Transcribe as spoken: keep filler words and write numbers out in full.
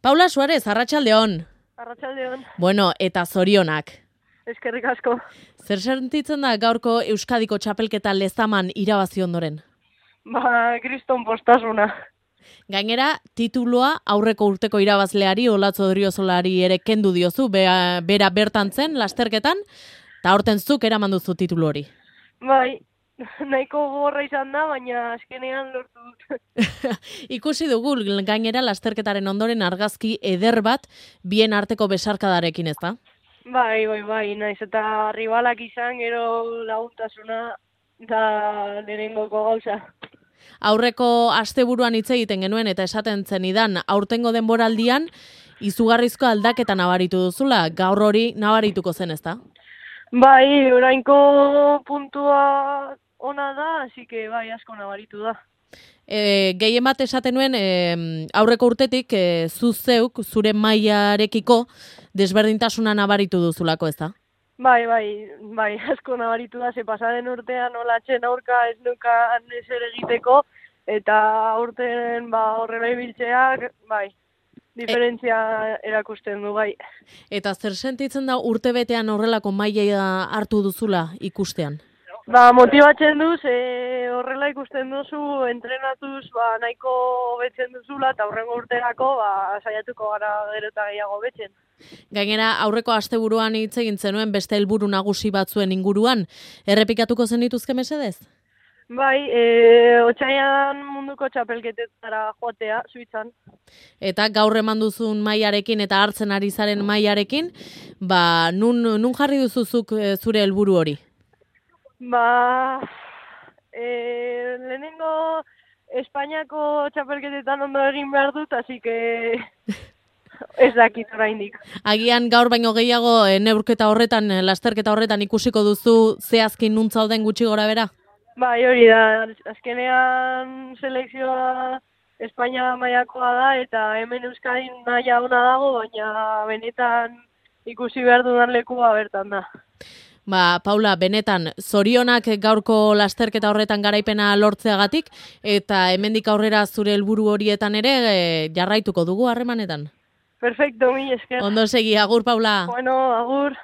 Paula Suarez, arratsaldeon. Arratsaldeon. Bueno, eta zorionak. Eskerrik asko. Zer sentitzen da gaurko Euskadiko txapelketa lezaman irabazi ondoren? Ba, kriston postasuna. Gainera, titulua aurreko urteko irabazleari, Olatzo Odriozolari ere kendu diozu, bera, bera bertan zen, lasterketan, eta horten zuk eraman duzu titulu hori. Bai, nahiko gogorra izan da, baina azkenean lortu dut. Ikusi dugu gainera lasterketaren ondoren argazki eder bat bien arteko besarkadarekin, ez da? Bai, bai, bai, naiz eta ribalak izan, gero laguntasuna da lehenengoko gauza. Aurreko asteburuan hitz egiten genuen eta esaten zenidan aurtengo denboraldian izugarrizko aldaketa nabaritu duzula, gaur hori nabarituko zen, ezta? Bai, orainko puntua ona da, así que bai, asko nabaritu da. E, gehien bat esaten nuen e, aurreko urtetik e, zu zeuk zure mailarekiko desberdintasuna nabaritu duzulako, ezta? Bai, bai, bai, asko nabaritu da, ze pasaden urtean olatzen aurka ez nukan ezer egiteko, eta aurten ba, horrela ibiltzeak, bai, diferentzia erakusten du, bai. Eta zer sentitzen da urtebetean horrelako maila hartu duzula ikustean? Ba, motibatzen du, ze horrela ikusten duzu, entrenatuz, ba, nahiko betzen duzula, eta aurrengo urterako, ba, saiatuko gara gero eta gehiago betzen. Gainera, aurreko asteburuan hitz egin zenuen beste helburu nagusi batzuen inguruan, errepikatuko zen dituzke mesedez? Bai, e, otsailean munduko txapelketetara joatea, Suitzan. Eta gaur eman duzun mailarekin eta hartzen ari zaren mailarekin, ba, nun, nun jarri duzuzuk zure helburu hori? Ba, e, lehenengo Espainiako txapelketetan ondo egin behar dut, así que ez dakit oraindik. Agian gaur baino gehiago e, neurketa horretan, lasterketa horretan ikusiko duzu zehazkin nun zauden gutxi gora bera? Bai, hori da, azkenean selekzioa Espainia mailakoa da, eta hemen Euskadin maila ona dago, baina benetan ikusi behar dudan lekua bertan da. Ba, Paula, benetan, zorionak gaurko lasterketa horretan garaipena lortzeagatik, eta hemendik aurrera zure helburu horietan ere e, jarraituko dugu harremanetan. Perfecto, mi esker. Ondo segi, agur, Paula. Bueno, agur.